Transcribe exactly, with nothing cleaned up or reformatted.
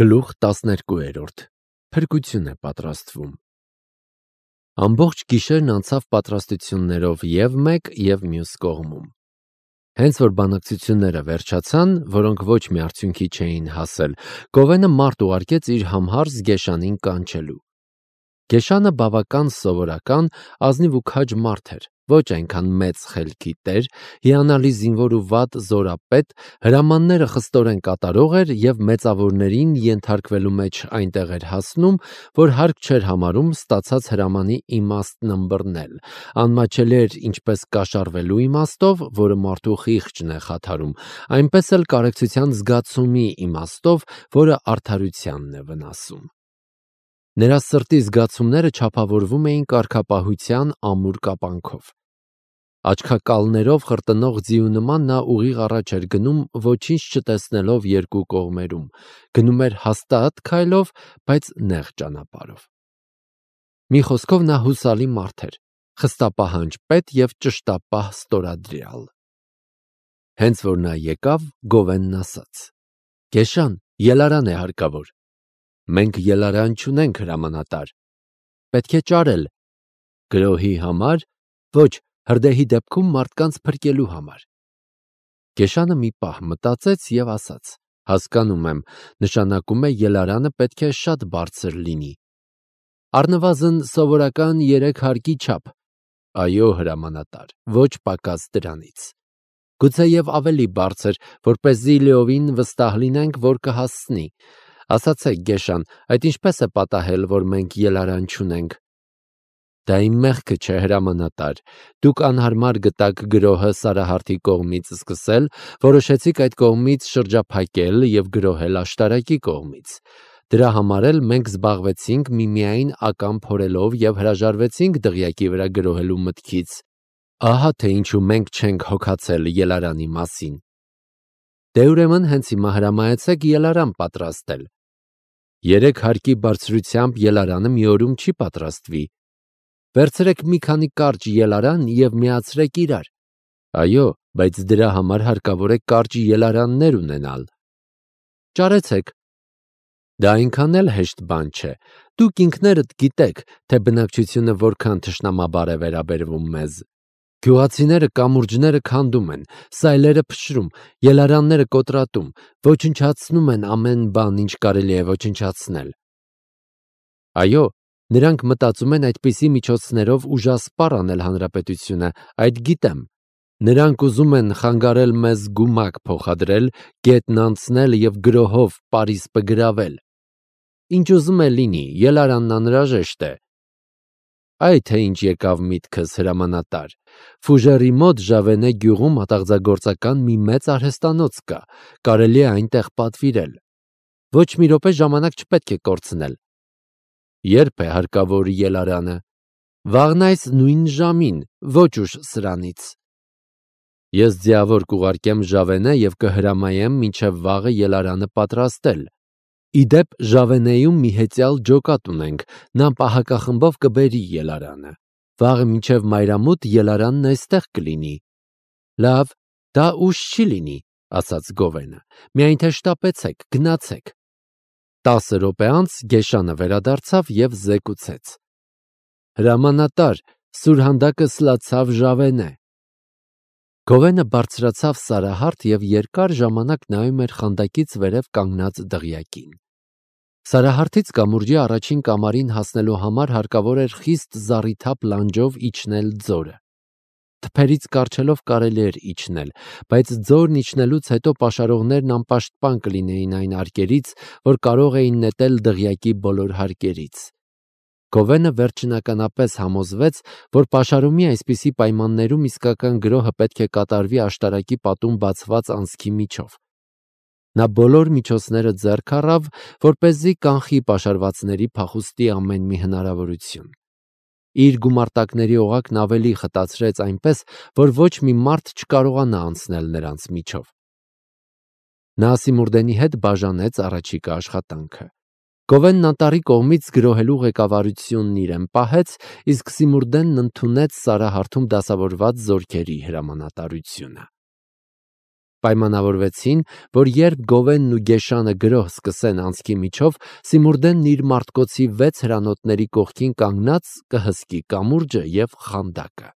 Գլուխ տասներկուերորդ. Փրկություն է պատրաստվում։ Ամբողջ գիշերն անցավ պատրաստություններով և մեկ և մյուս կողմում։ Հենց որ բանակցությունները վերջացան, որոնք ոչ մի արդյունքի չէին հասել, Գովենը մարդ ուղարկեց իր համհարս Գեշանին կանչելու։ Գեշանը բավական սովորական, ազնիվ ու քաջ մարդ էր, ոչ այնքան մեծ խելքի տեր, հիանալի զինվոր ու վատ զորապետ, հրամանները խստորեն կատարող էր և մեծավորներին ենթարկվելու մեջ այնտեղ էր հասնում, որ հարկ չէր համարում ստացած հրամանի իմաստն ըմբռնել, անմաչելի էր ինչպես կաշառվելու իմաստով, որը մարդու խիղճն է խաթարում, այնպես էլ կարեկցության զգացումի իմաստով, որը արդարությանն է վնասում։ Նրա սրտի զգացումները չափավորվում էին կարգապահության ամուր կապանքով։ Աչքակալներով խրտնող ձիու նման նա ուղիղ առաջ էր գնում, ոչինչ չտեսնելով երկու կողմերում, գնում էր հաստատ քայլով, բայց նեղ ճանապարհով։ Մի խոսքով նա հուսալի մարդ էր, խստապահանջ պետ և ճշտապահ ստորադրյալ։ Հենց որ նա եկավ, Գովենն ասաց. «Գեշան, ելարան է հարկավոր»։ «Մենք ելարան չունենք, հրամանատար»։ «Պետք է ճարել»։ «Գրոհի համար»։ «Ոչ, հրդեհի դեպքում մարդկանց փրկելու համար»։ Գեշանը մի պահ մտածեց և ասաց. «Հասկանում եմ, նշանակում է ելարանը պետք է շատ բարձր լինի»։ «Առնվազն սովորական երեք հարկի չափ»։ «Այո, հրամանատար, ոչ պակաս դրանից»։ «Գուցեև ավելի բարձր, որպեսզի լիովին վստահ լինենք, որ կհասցնի»։ «Ասացեք, Գեշան, այդ ինչպես է պատահել, որ մենք ելարան չունենք»։ «Դա իմ մեղքը չէ, հրամանատար, դուք անհարմար գտաք գրոհը Սարահարթի կողմից սկսել, որոշեցիք այդ կողմից շրջափակել և գրոհել աշտարակի կողմից։ Դրա համար էլ մենք զբաղվեցինք միմիայն ակամբ փորելով և հրաժարվեցինք դղյակի վրա գրոհելու մտքից։ Ահա թե ինչու մենք չենք հոգացել ելարանի մասին։ Դե ուրեմն հենց հիմա հրամայեցեք ելարան պատրաստել»։ «Երեք հարկի բարձրությամբ ելարանը մի օրում չի պատրաստվի»։ «Վերցրեք մի քանի կարճ ելարան և միացրեք իրար»։ «Այո, բայց դրա համար հարկավոր է կարճ ելարաններ ունենալ»։ «Ճարեցեք»։ «Դա այնքան էլ հեշտ բան չէ։ Դուք ինքներդ գիտեք, թե բնակչությունը որքան թշնամաբար է վերաբերվում մեզ։ Գյուղացիները կամուրջները քանդում են, սայլերը փշրում, ելարանները կոտրատում, ոչնչացնում են ամեն բան, ինչ կարելի է ոչնչացնել»։ «Այո, նրանք մտածում են այդպիսի միջոցներով ուժասպառ անել հանրապետությունը, այդ գիտեմ։ Նրանք ուզում են խանգարել մեզ գումակ փոխադրել, գետն անցնել և գրոհով պարիսպը գրավել։ Ինչ ուզում է լինի, ելարանն անհրաժեշտ է»։ «Այ թե ինչ եկավ միտքս, հրամանատար։ Ֆուժերի մոտ Ժավենե գյուղում ատաղձագործական մի մեծ արհեստանոց կա, կարելի է այնտեղ պատվիրել։ Ոչ մի րոպե ժամանակ չպետք է կորցնել»։ «Ե՞րբ է հարկավոր ելարանը»։ «Վաղն այս նույն ժամին, ոչ ուշ սրանից»։ «Ես ձիավոր կուղարկեմ Ժավենե և կհրամայեմ մինչև վաղը ելարանը պատրաստել։ Ի դեպ, Ժավենեում մի հեծյալ ջոկատ ունենք, նա պահակախմբով կբերի ելարանը։ Վաղը մինչև մայրամուտ ելարանն այստեղ կլինի»։ «Լավ, դա ուշ չի լինի», ասաց Գովենը, «միայն թե շտապեցեք, գնացեք»։ Տասը րոպե անց Գեշանը վերադարձավ և զեկուցեց. «Հրամանատար, սուրհանդակը սլացավ Ժավենե»։ Գովենը բարձրացավ Սարահարթ և երկար ժամանակ նայում էր խանդակից վերև կանգնած դղյակին։ Սարահարթից կամուրջի առաջին կամարին հասնելու համար հարկավոր էր խիստ զառիթափ լանջով իջնել ձորը։ Թփերից կառչելով կարելի էր իջնել, բայց ձորն իջնելուց հետո պաշարողներն անպաշտպան կլինեին այն արկերից, որ կարող էին նետել դղյակի բոլոր հարկերից։ Գովենը վերջնականապես համոզվեց, որ պաշարումի այսպիսի պայմաններում իսկական գրոհը պետք է կատարվի աշտարակի պատում բացված անցքի միջով։ Նա բոլոր միջոցները ձեռք առավ, որպեսզի կանխի պաշարվածների փախուստի ամեն մի հնարավորություն։ Իր գումարտակների օղակն ավելի խտացրեց այնպես, որ ոչ մի մարդ չկարողանա անցնել նրանց միջով։ Նա Սիմուրդենի հետ բաժանեց առաջիկա աշխատանքը։ Գովենն անտառի կողմից գրոհելու ղեկավարությունն իրեն պահեց, իսկ Սիմուրդենն ընդունեց Սարահարթում դասավորված զորքերի հրամանատարությունը։ Պայմանավորվեցին, որ երբ Գովենն ու Գեշանը գրոհ սկսեն անցքի միջով, Սիմուրդենն իր մարտկոցի վեց հրանոթների կողքին կանգնած կհսկի կամուրջը և խանդակը։